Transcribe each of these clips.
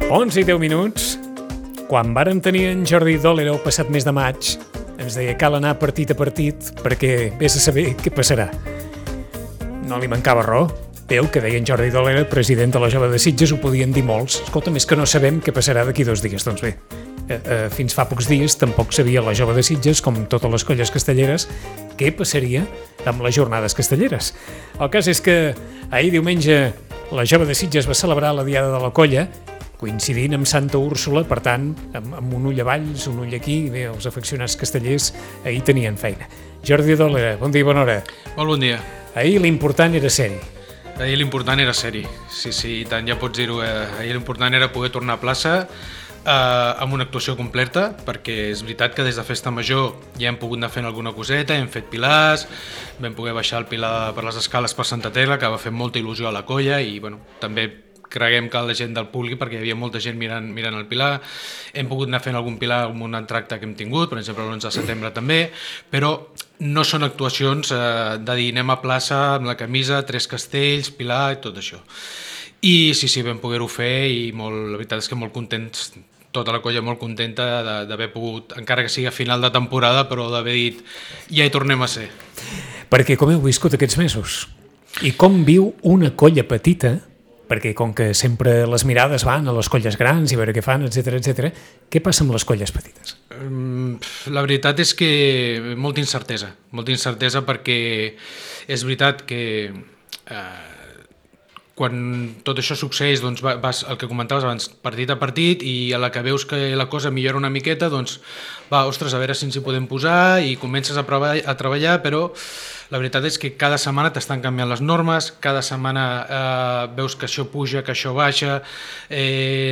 11 i 10 minuts. Quan vàrem tenir en Jordi Dòlera el passat mes de maig, ens deia cal anar partit a partit perquè vés a saber què passarà. No li mancava raó. Bé, el que deia en Jordi Dòlera, president de la Jove de Sitges, ho podien dir molts. Escolta, més que no sabem què passarà d'aquí 2 dies. Doncs bé, fins fa pocs dies tampoc sabia la Jove de Sitges, com totes les colles castelleres, què passaria amb les jornades castelleres. El cas és que ahir diumenge la Jove de Sitges va celebrar la Diada de la Colla, coincidint amb Santa Úrsula, per tant, amb un ull a Valls, un ull aquí, i bé, els afeccionats castellers ahir tenien feina. Jordi Dòlera, bon dia i bona hora. Molt bon dia. Ahir l'important era ser-hi. Ahir l'important era ser-hi, sí, tant ja pots dir-ho. Ahir l'important era poder tornar a plaça amb una actuació completa, perquè és veritat que des de Festa Major ja hem pogut anar fent alguna coseta, hem fet pilars, vam poder baixar el pilar per les escales per Santa Tela, que va fer molta il·lusió a la colla, i bueno, també creguem que la gent del públic, perquè hi havia molta gent mirant el pilar. Hem pogut anar fent algun pilar amb un entracte que hem tingut, per exemple l'11 de setembre també, però no són actuacions de dir anem a plaça amb la camisa, 3 castells, pilar i tot això. I sí, vam poder-ho fer i la veritat és que molt contents, tota la colla molt contenta d'haver pogut, encara que sigui a final de temporada, però d'haver dit ja hi tornem a ser. Perquè com heu viscut aquests mesos? I com viu una colla petita? Perquè com que sempre les mirades van a les colles grans i veure què fan, etc. Què passa amb les colles petites? La veritat és que molta incertesa perquè és veritat que quan tot això succeeix, doncs vas, el que comentaves abans, partit a partit, i a la que veus que la cosa millora una miqueta, doncs ostres, a veure si ens hi podem posar, i comences a treballar, però la veritat és que cada setmana t'estan canviant les normes, cada setmana veus que això puja, que això baixa,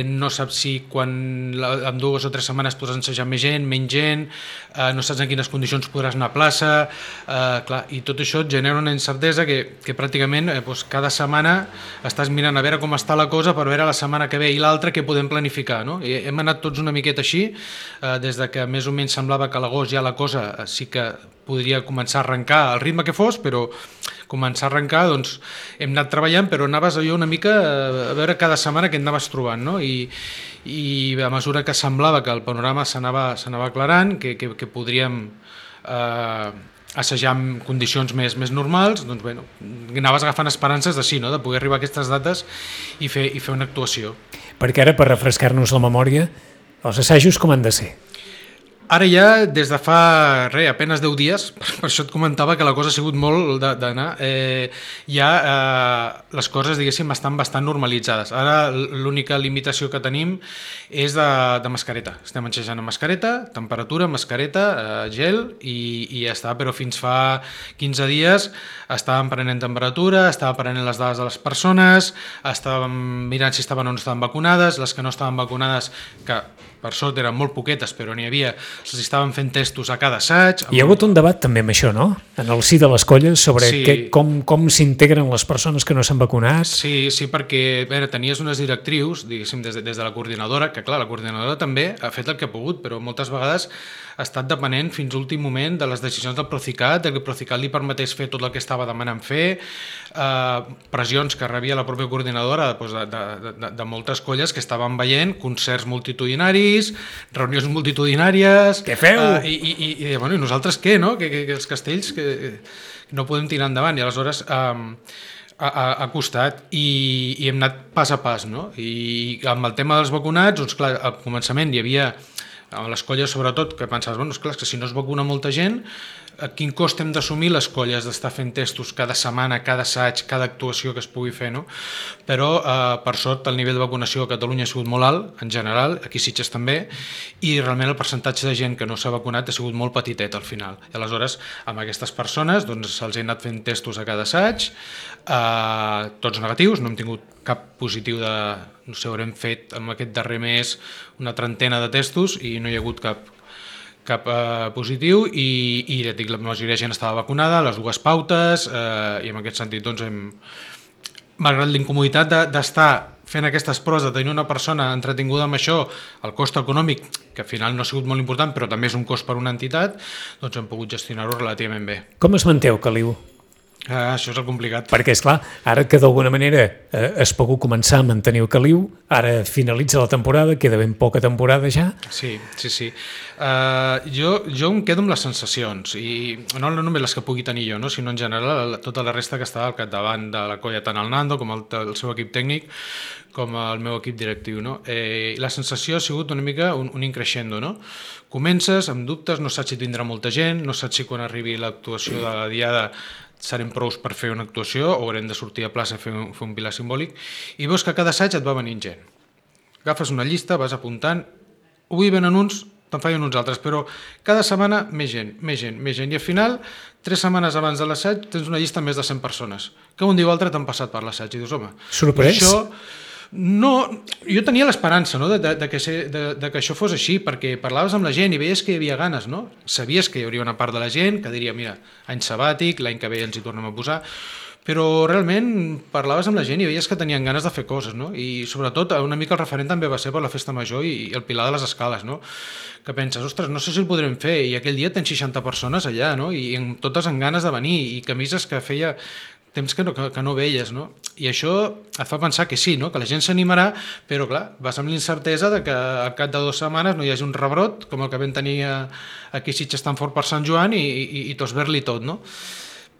no saps si en 2 o 3 setmanes podràs ensejar més gent, menys gent, no saps en quines condicions podràs anar a plaça, clar, i tot això et genera una incertesa que pràcticament cada setmana estàs mirant a veure com està la cosa per veure la setmana que ve i l'altra què podem planificar, no? I hem anat tots una miqueta així, des de que més o menys semblava que a l'agost ja la cosa sí que podria començar a arrencar al ritme que fos, però començar a arrencar, doncs hem anat treballant, però anaves allò una mica a veure cada setmana què anaves trobant, no? I a mesura que semblava que el panorama s'anava aclarant, que podríem assajar en condicions més normals, doncs bueno, anaves agafant esperances de sí, no? De poder arribar a aquestes dates i fer una actuació. Perquè ara, per refrescar-nos la memòria, els assajos com han de ser? Ara ja, des de fa apenas 10 dies, per això et comentava que la cosa ha sigut molt d'anar, ja les coses, diguéssim, estan bastant normalitzades. Ara l'única limitació que tenim és de mascareta. Estem enxejant amb mascareta, temperatura, mascareta, gel i ja està, però fins fa 15 dies estàvem prenent temperatura, estàvem prenent les dades de les persones, estàvem mirant si estaven o no estaven vacunades, les que no estaven vacunades, que per sort eren molt poquetes, però n'hi havia, se'ls estaven fent testos a cada assaig. Hi ha hagut un debat també amb això, no? En el si de les colles, sobre com s'integren les persones que no s'han vacunat. Sí, perquè tenies unes directrius, diguéssim, des de la coordinadora, que clar, la coordinadora també ha fet el que ha pogut, però moltes vegades ha estat depenent fins a l'últim moment de les decisions del Procicat, que el Procicat li permetés fer tot el que estava demanant fer, pressions que rebia la pròpia coordinadora de moltes colles que estaven veient concerts multitudinaris, reunions multitudinàries. Què feu? I nosaltres què, no? Que els castells que no podem tirar endavant, i aleshores ha costat i hem anat pas a pas, no? I amb el tema dels vacunats, doncs clar, al començament hi havia a les colles sobretot, que pensaves, bueno, esclar, que si no es vacuna molta gent, quin cost hem d'assumir les colles d'estar fent testos cada setmana, cada assaig, cada actuació que es pugui fer, no? Però, per sort, el nivell de vacunació a Catalunya ha sigut molt alt, en general, aquí a Sitges també, i realment el percentatge de gent que no s'ha vacunat ha sigut molt petitet al final. I aleshores, amb aquestes persones, doncs se'ls ha anat fent testos a cada assaig, tots negatius, no hem tingut cap positiu no sé, haurem fet amb aquest darrer mes una 30 de testos i no hi ha hagut cap positiu i ja et dic, la majoria de gent estava vacunada, les 2 pautes, i en aquest sentit doncs malgrat l'incomoditat d'estar fent aquestes proves, de tenir una persona entretinguda amb això, el cost econòmic, que al final no ha sigut molt important, però també és un cost per una entitat, doncs hem pogut gestionar-ho relativament bé. Com es manteu, Caliu? Això és el complicat. Perquè, esclar, ara que d'alguna manera has pogut començar a mantenir el caliu, ara finalitza la temporada, queda ben poca temporada ja. Sí. Jo em quedo amb les sensacions, i no només les que pugui tenir jo, no? Sinó en general tota la resta que estava al capdavant de la colla, tant el Nando com el seu equip tècnic, com el meu equip directiu. No? La sensació ha sigut una mica un increixendo. No? Comences amb dubtes, no saps si tindrà molta gent, no saps si quan arribi l'actuació de la diada serem prous per fer una actuació o haurem de sortir a plaça a fer un pilar simbòlic, i veus que cada assaig et va venint gent. Agafes una llista, vas apuntant, avui venen uns, te'n fallen uns altres, però cada setmana més gent, i al final, 3 setmanes abans de l'assaig, tens una llista amb més de 100 persones, que un dia o altre t'han passat per l'assaig, i dius, home, sorprès? No, jo tenia l'esperança, no, de que això fos així, perquè parlaves amb la gent i veies que hi havia ganes, no? Sabies que hi hauria una part de la gent que diria, mira, any sabàtic, l'any que ve ens hi tornem a posar, però realment parlaves amb la gent i veies que tenien ganes de fer coses, no? I sobretot una mica el referent també va ser per la festa major i el Pilar de les Escales, no? Que penses, ostres, no sé si el podrem fer, i aquell dia tens 60 persones allà, no? I totes amb ganes de venir, i camises que feia temps que no veies, no? I això et fa pensar que sí, no? Que la gent s'animarà, però clar, vas amb l'incertesa de que al cap de 2 setmanes no hi hagi un rebrot, com el que vam tenir aquí a Sitges tan fort per Sant Joan, i tots ver-li tot, no?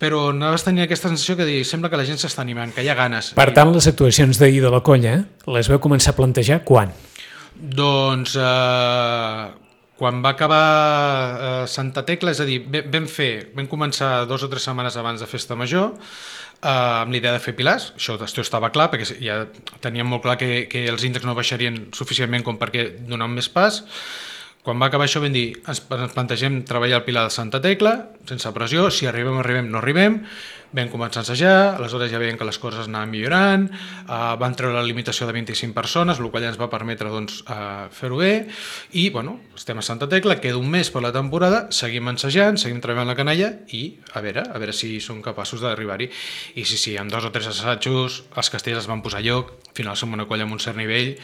Però anaves tenint aquesta sensació que sembla que la gent s'està animant, que hi ha ganes. Per tant, les actuacions d'ahir de la colla les vau començar a plantejar quan? Doncs quan va acabar Santa Tecla, és a dir, vam començar 2 o 3 setmanes abans de Festa Major, amb l'idea de fer pilars, això estava clar, perquè ja teníem molt clar que els índexs no baixarien suficientment com perquè donar més pas. Quan va acabar això vam dir, ens plantegem treballar el Pilar de Santa Tecla, sense pressió, si arribem, no arribem. Vam començar a assajar, aleshores ja veiem que les coses anaven millorant, van treure la limitació de 25 persones, el qual ja ens va permetre fer-ho bé, i bueno, estem a Santa Tecla, queda un mes per la temporada, seguim ensajant, seguim treballant la canalla i a veure si som capaços d'arribar-hi. I sí, amb 2 o 3 assajos, els castells es van posar a lloc, al final som una colla amb un cert nivell,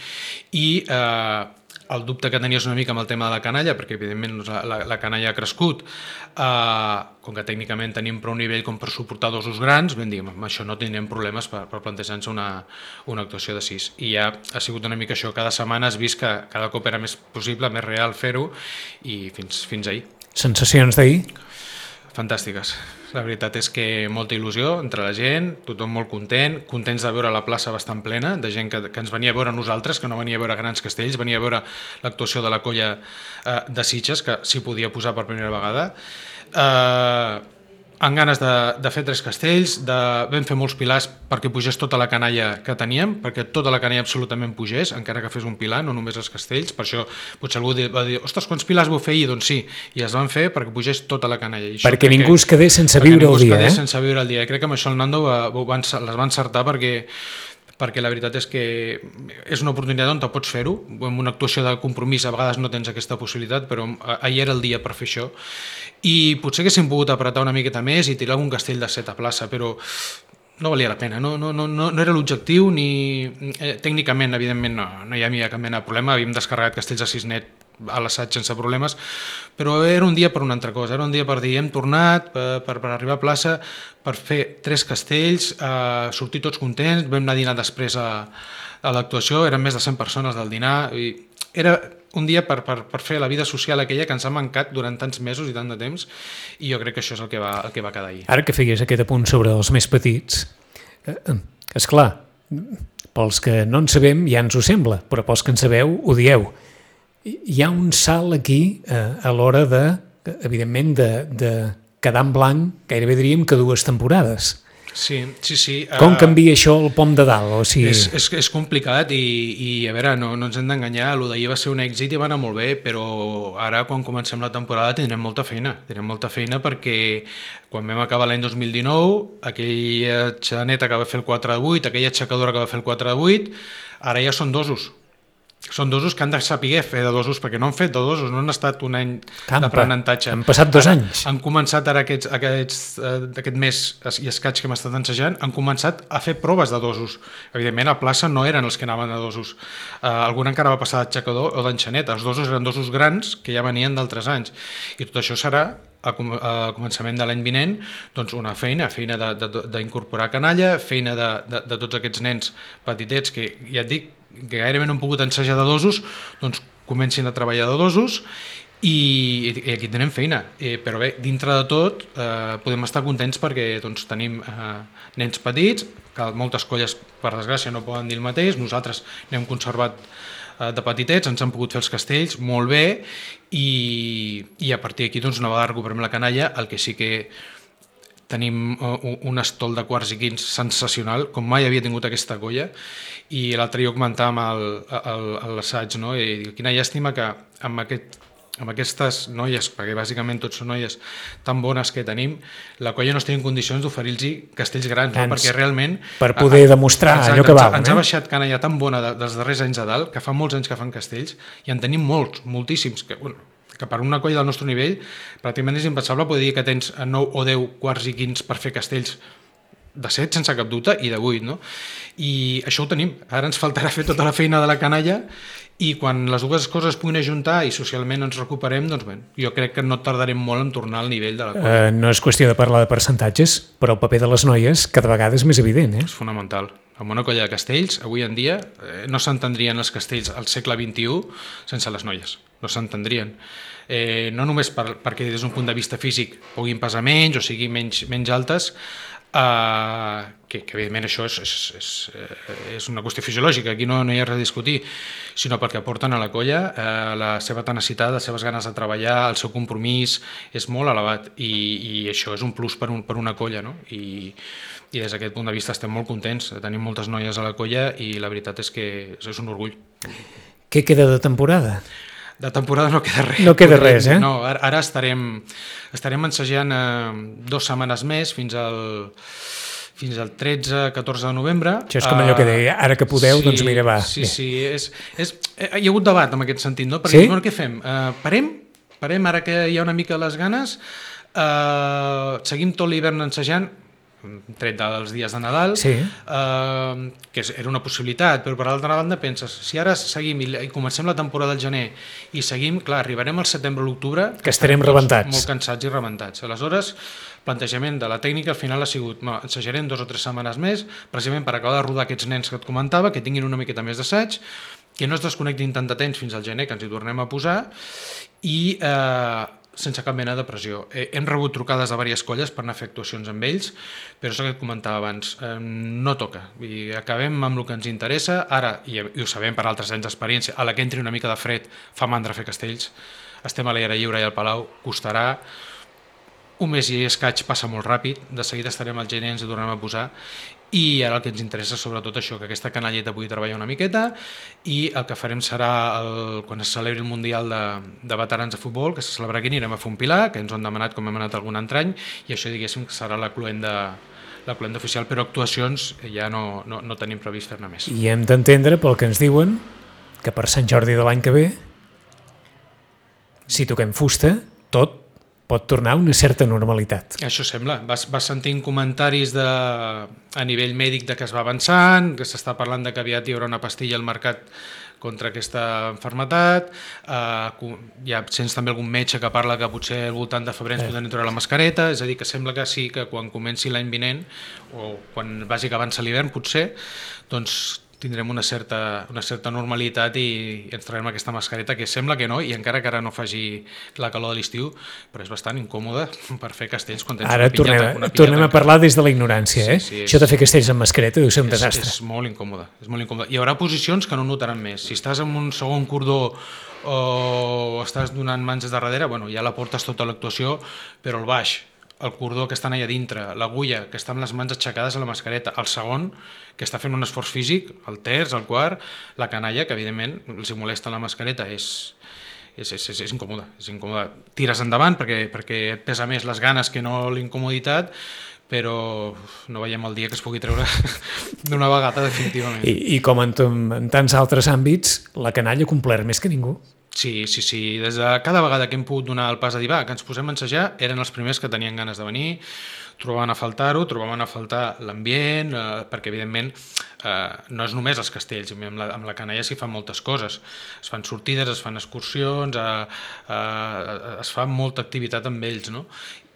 i el dubte que tenies una mica amb el tema de la canalla, perquè evidentment la canalla ha crescut, com que tècnicament tenim prou nivell com per suportar 2 usos grans, vam dir, amb això no tindrem problemes per plantejar-nos una actuació de 6. I ja ha sigut una mica això, cada setmana has vist que cada cop era més possible, més real fer-ho, i fins ahir. Sensacions d'ahir? Fantàstiques. La veritat és que molta il·lusió entre la gent, tothom molt contents de veure la plaça bastant plena, de gent que ens venia a veure nosaltres, que no venia a veure grans castells, venia a veure l'actuació de la colla de Sitges, que s'hi podia posar per primera vegada. Amb ganes de fer 3 castells, vam fer molts pilars perquè pugés tota la canalla que teníem, perquè tota la canalla absolutament pugés, encara que fes un pilar, no només els castells. Per això potser algú va dir, ostres, quants pilars vau fer ahir? Doncs sí, i es van fer perquè pugés tota la canalla. Perquè ningú es quedés sense viure el dia. Sense viure el dia. Crec que amb això el Nando les va encertar perquè la veritat és que és una oportunitat on te pots fer-ho. En una actuació de compromís a vegades no tens aquesta possibilitat, però ahir era el dia per fer això. I potser haguéssim pogut apretar una miqueta més i tirar algun castell de 7 a plaça, però no valia la pena, no era l'objectiu, ni tècnicament, evidentment, no hi havia cap mena de problema, havíem descarregat castells a 6 net a l'assaig sense problemes, però era un dia per una altra cosa, era un dia per dir, hem tornat per arribar a plaça, per fer 3 castells, sortir tots contents, vam anar a dinar després a l'actuació, eren més de 100 persones del dinar, i era un dia per fer la vida social aquella que ens ha mancat durant tants mesos i tant de temps, i jo crec que això és el que va quedar ahir. Ara que feies aquest apunt sobre els més petits, esclar, pels que no en sabem ja ens ho sembla, però pels que en sabeu ho dieu. Hi ha un salt aquí a l'hora evidentment, de quedar en blanc, gairebé diríem que 2 temporades. Sí. Com canvia això el pom de dalt? O sigui... És complicat i a veure, no ens hem d'enganyar, el d'ahir va ser un èxit i va anar molt bé, però ara quan comencem la temporada tindrem molta feina perquè quan vam acabar l'any 2019, aquella xaneta que va fer el 4 de 8, aquella aixecadora que va fer el 4 de 8, ara ja són 2 usos. són dosos que han de saber fer de dosos, perquè no han fet de dosos, no han estat un any d'aprenentatge. Han passat 2 anys. Han començat ara aquest mes i escaig que hem estat ensajant, han començat a fer proves de dosos. Evidentment, a plaça no eren els que anaven a dosos. Algun encara va passar d'aixecador o d'enxaneta. Els dosos eren dosos grans que ja venien d'altres anys. I tot això serà a començament de l'any vinent, doncs una feina d'incorporar canalla, feina de tots aquests nens petitets que ja et dic que gairebé no han pogut ensejar de dosos, doncs comencin a treballar de dosos i aquí tenim feina. Però bé, dintre de tot podem estar contents perquè doncs, tenim nens petits, que moltes colles per desgràcia no poden dir el mateix, nosaltres n'hem conservat de petitets, ens han pogut fer els castells molt bé i a partir d'aquí doncs, una vegada recuperem la canalla, el que sí que tenim un estol de quarts i quints sensacional, com mai havia tingut aquesta colla, i l'altre dia ho comentàvem a l'assaig, no? I dic, quina llàstima que amb aquestes noies, perquè bàsicament tots són noies tan bones que tenim, la colla no estigui en condicions d'oferir-los castells grans, no? Perquè realment... Per poder demostrar allò que val. Ens ha baixat canalla tan bona dels darrers anys a dalt, que fa molts anys que fan castells, i en tenim molts, moltíssims, que per una colla del nostre nivell pràcticament és impensable poder dir que tens 9 o 10 quarts i quints per fer castells de 7 sense cap dubte i de 8, no? I això ho tenim. Ara ens faltarà fer tota la feina de la canalla i quan les dues coses es puguin ajuntar i socialment ens recuperem, doncs bé, jo crec que no tardarem molt en tornar al nivell de la colla. No és qüestió de parlar de percentatges, però el paper de les noies cada vegada és més evident. És fonamental. En una colla de castells, avui en dia, no s'entendrien els castells al segle XXI sense les noies. No s'entendrien. No només perquè des d'un punt de vista físic puguin pesar menys o sigui menys altes, que evidentment això és una qüestió fisiològica, aquí no hi ha res a discutir, sinó perquè aporten a la colla la seva tenacitat, les seves ganes de treballar, el seu compromís és molt elevat i això és un plus per una colla, no? I des d'aquest punt de vista estem molt contents, tenim moltes noies a la colla i la veritat és que és un orgull. Què queda de temporada? De temporada no queda res. No queda res, eh? No, ara estarem ensajant 2 setmanes més fins al 13-14 de novembre. Això és com allò que deia, ara que podeu, sí, doncs mira, va. Sí, hi ha hagut debat en aquest sentit, no? Perquè, sí? Bueno, què fem? Parem ara que hi ha una mica les ganes, seguim tot l'hivern ensajant, tret dels dies de Nadal, sí. Que era una possibilitat, però per l'altra banda penses, si ara seguim i comencem la temporada del gener i seguim, clar, arribarem al setembre o l'octubre que estarem rebentats. Molt cansats i rebentats. Aleshores, plantejament de la tècnica al final ha sigut, ensajarem 2 o 3 setmanes més, precisament per acabar de rodar aquests nens que et comentava, que tinguin una miqueta més d'assaig, que no es desconnectin tant de temps fins al gener, que ens hi tornem a posar, i sense cap mena de pressió. Hem rebut trucades de diverses colles per anar a fer actuacions amb ells, però és el que et comentava abans, no toca. I acabem amb el que ens interessa, ara, i ho sabem per altres anys d'experiència, a la que entri una mica de fred fa mandra fer castells, estem a l'aire lliure i al Palau, costarà, un mes i escaig passa molt ràpid, de seguida estarem al gener, ens hi tornem a posar, i ara el que ens interessa sobretot això, que aquesta canalleta pugui treballar una miqueta i el que farem serà quan es celebri el Mundial de Veterans de Futbol, que se celebrarà aquí, anirem a fer un pilar, que ens ho han demanat com hem anat algun altre any, i això diguéssim que serà la cluenda oficial, però actuacions ja no tenim previst fer-ne més. I hem d'entendre pel que ens diuen que per Sant Jordi de l'any que ve, si toquem fusta, tot pot tornar a una certa normalitat. Això sembla. Vas sentint comentaris a nivell mèdic de que es va avançant, que s'està parlant de que aviat hi haurà una pastilla al mercat contra aquesta malaltia. Ja sents també algun metge que parla que potser al voltant de febrer ens podem treure la mascareta, és a dir, que sembla que sí, que quan comenci l'any vinent, o quan vagi que avança l'hivern potser, doncs tindrem una certa normalitat i ens traurem aquesta mascareta, que sembla que no, i encara que ara no faci la calor de l'estiu, però és bastant incòmode per fer castells quan tens ara una pinyata. Ara tornem a parlar des de la ignorància, sí, Això de fer castells amb mascareta deu ser un desastre. És molt incòmode, és molt incòmode. Hi haurà posicions que no notaran més. Si estàs en un segon cordó o estàs donant mans de darrere, bueno, ja la portes tota l'actuació, però el baix, el cordó que està allà dintre, l'agulla que està amb les mans aixecades a la mascareta, el segon que està fent un esforç físic, el terç, el quart, la canalla, que evidentment els molesta la mascareta, és incòmode, és incòmode. Tires endavant perquè et pesa més les ganes que no l'incomoditat, però no veiem el dia que es pugui treure d'una vegada definitivament. I com en tants altres àmbits, la canalla ha complert més que ningú. Sí. Des de cada vegada que hem pogut donar el pas a dir, va, que ens posem a ensejar, eren els primers que tenien ganes de venir, trobaven a faltar-ho, trobaven a faltar l'ambient, perquè evidentment no és només els castells, amb la canalla s'hi fan moltes coses, es fan sortides, es fan excursions, es fa molta activitat amb ells, no?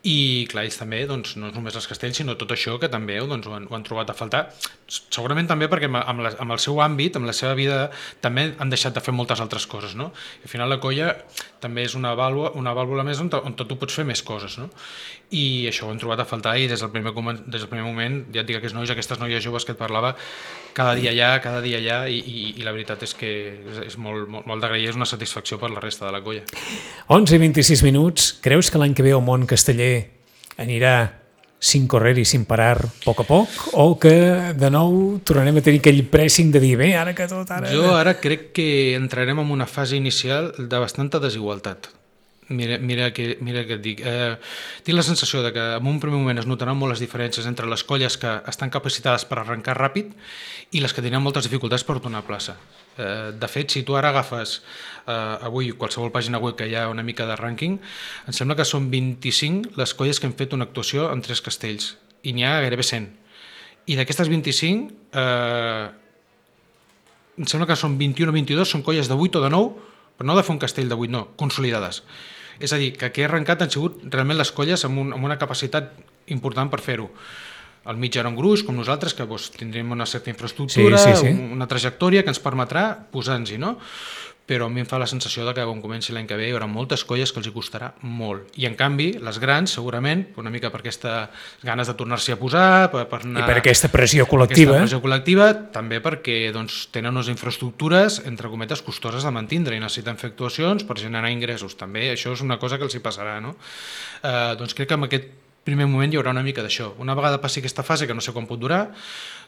I clar, ells també, doncs, no és només els castells, sinó tot això que també doncs, ho han trobat a faltar. Segurament també perquè amb el seu àmbit, amb la seva vida, també han deixat de fer moltes altres coses, no? I al final la colla també és una vàlvula més on tu pots fer més coses, no? I això ho han trobat a faltar i des del primer moment, ja et dic, aquestes noies joves que et parlava, cada dia allà i la veritat és que és molt d'agrair, és una satisfacció per la resta de la colla. 11 i 26 minuts. Creus que l'any que ve el món casteller anirà sin correr i sin parar a poc o que de nou tornarem a tenir aquell pressing de dir, bé, ara que tot... Jo ara crec que entrarem en una fase inicial de bastanta desigualtat. Mira que et dic. Tinc la sensació de que en un primer moment es notaran molt les diferències entre les colles que estan capacitades per arrencar ràpid i les que tenen moltes dificultats per donar plaça. De fet, si tu ara agafes avui qualsevol pàgina web que hi ha una mica de rànquing, em sembla que són 25 les colles que han fet una actuació en 3 castells i n'hi ha gairebé 100. I d'aquestes 25 em sembla que són 21 o 22, són colles de 8 o de 9, però no de fer un castell de 8, no, consolidades. És a dir, que aquí he arrencat han sigut realment les colles amb una capacitat important per fer-ho. Al mig era un gruix, com nosaltres, que tindrem una certa infraestructura, sí. Una trajectòria que ens permetrà posar-nos-hi, no? Però a mi em fa la sensació que quan comenci l'any que ve hi haurà moltes colles que els hi costarà molt. I en canvi, les grans, segurament, una mica per aquestes ganes de tornar-s'hi a posar, per anar... I per aquesta pressió col·lectiva. També perquè tenen unes infraestructures, entre cometes, costoses de mantindre i necessiten fer actuacions per generar ingressos. També això és una cosa que els hi passarà, no? Doncs crec que en aquest primer moment hi haurà una mica d'això. Una vegada passi aquesta fase, que no sé quan pot durar,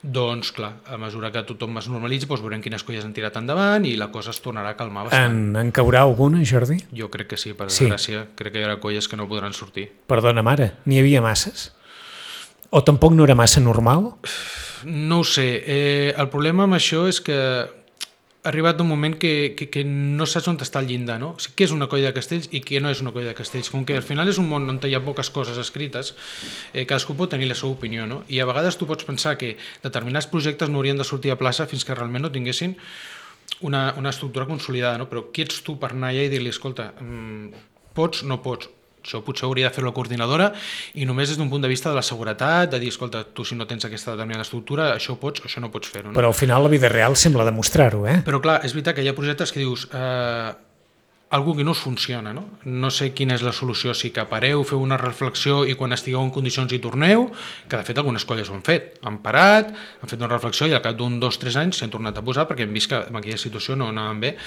doncs clar, a mesura que tothom es normalitzi, doncs veurem quines colles han tirat endavant i la cosa es tornarà a calmar bastant. En caurà alguna, Jordi? Jo crec que sí, per desgràcia. Crec que hi haurà colles que no podran sortir. Perdona, mare, n'hi havia masses? O tampoc no era massa normal? No ho sé. El problema amb això és que ha arribat un moment que no saps on està el llindar, no? O sigui, què és una colla de castells i què no és una colla de castells. Com que al final és un món on hi ha poques coses escrites, cadascú pot tenir la seva opinió, no? I a vegades tu pots pensar que determinats projectes no haurien de sortir a plaça fins que realment no tinguessin una estructura consolidada, no? Però qui ets tu per anar allà i dir-li, escolta, pots, no pots? Això potser hauria de fer la coordinadora i només des d'un punt de vista de la seguretat, de dir, escolta, tu si no tens aquesta determinada estructura, això pots, això no pots fer-ho. No? Però al final la vida real sembla demostrar-ho, eh? Però clar, és veritat que hi ha projectes que dius algú que no us funciona, no? No sé quina és la solució, si que pareu, feu una reflexió i quan estigueu en condicions hi torneu, que de fet algunes colles ho han fet, han parat, han fet una reflexió i al cap d'un 2-3 anys s'han tornat a posar perquè hem vist que en aquella situació no anaven bé.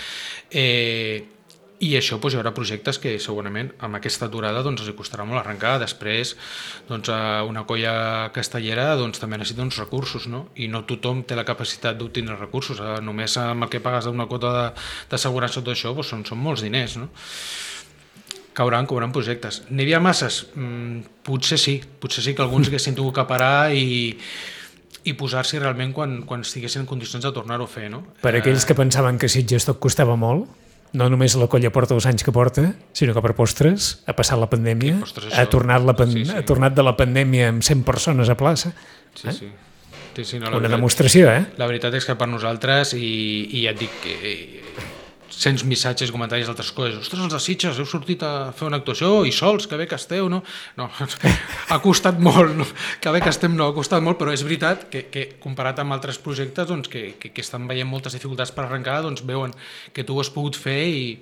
I això doncs, hi haurà projectes que segurament amb aquesta aturada doncs, els costarà molt arrencar. Després doncs, una colla castellera doncs, també necessita uns recursos, no? I no tothom té la capacitat d'obtenir recursos. Només amb el que pagues d'una quota d'assegurança tot això doncs, són molts diners, no? Cauran projectes. N'hi havia masses? Potser sí que alguns haguessin tingut que parar i posar-s'hi realment quan estiguessin en condicions de tornar-ho a fer, no? Per aquells que pensaven que Sitges tot costava molt, no només la colla porta els anys que porta, sinó que per postres ha passat la pandèmia, ha tornat de la pandèmia amb 100 persones a plaça. Sí, no, una demostració, eh? La veritat és que per nosaltres, i ja et dic que sents missatges i comentaris d'altres coses, ostres, els de Sitges, heu sortit a fer una actuació i sols, que bé que esteu, no? No, ha costat molt, no? Que bé que estem, no, ha costat molt, però és veritat que comparat amb altres projectes doncs, que estan veient moltes dificultats per arrencar, doncs veuen que tu ho has pogut fer i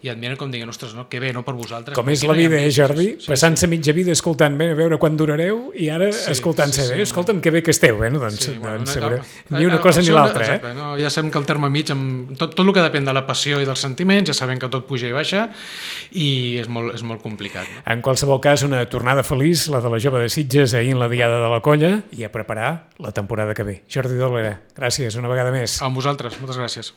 et miren com dient, ostres, no? Que bé, no, per vosaltres. Com és la vida, Jordi? Passant-se mitja vida escoltant, bé, a veure quan durareu, i ara escoltant-se, bé, escolta'm, que bé que esteu, bé, no? Doncs ni una cosa ni l'altra, eh? Ja sabem que el terme mig, tot el que depèn de la passió i dels sentiments, ja sabem que tot puja i baixa i és molt complicat. No? En qualsevol cas, una tornada feliç, la de la jove de Sitges, ahir en la diada de la colla, i a preparar la temporada que ve. Jordi Dolera, gràcies una vegada més. A vosaltres, moltes gràcies.